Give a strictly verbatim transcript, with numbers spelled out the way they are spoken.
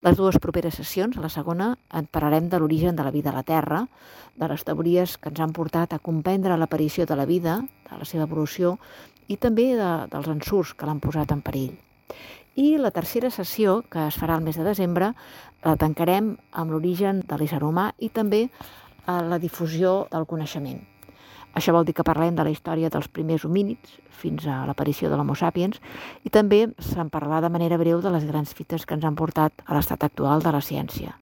Les dues properes sessions, a la segona, en parlarem de l'origen de la vida a la Terra, de les teories que ens han portat a comprendre l'aparició de la vida, de la seva evolució, i també de, dels ensurts que l'han posat en perill. I la tercera sessió, que es farà el mes de desembre, la tancarem amb l'origen de l'ésser humà i també la difusió del coneixement. Això vol dir que parlem de la història dels primers homínids fins a l'aparició de l'Homo sapiens i també se'n parlarà de manera breu de les grans fites que ens han portat a l'estat actual de la ciència.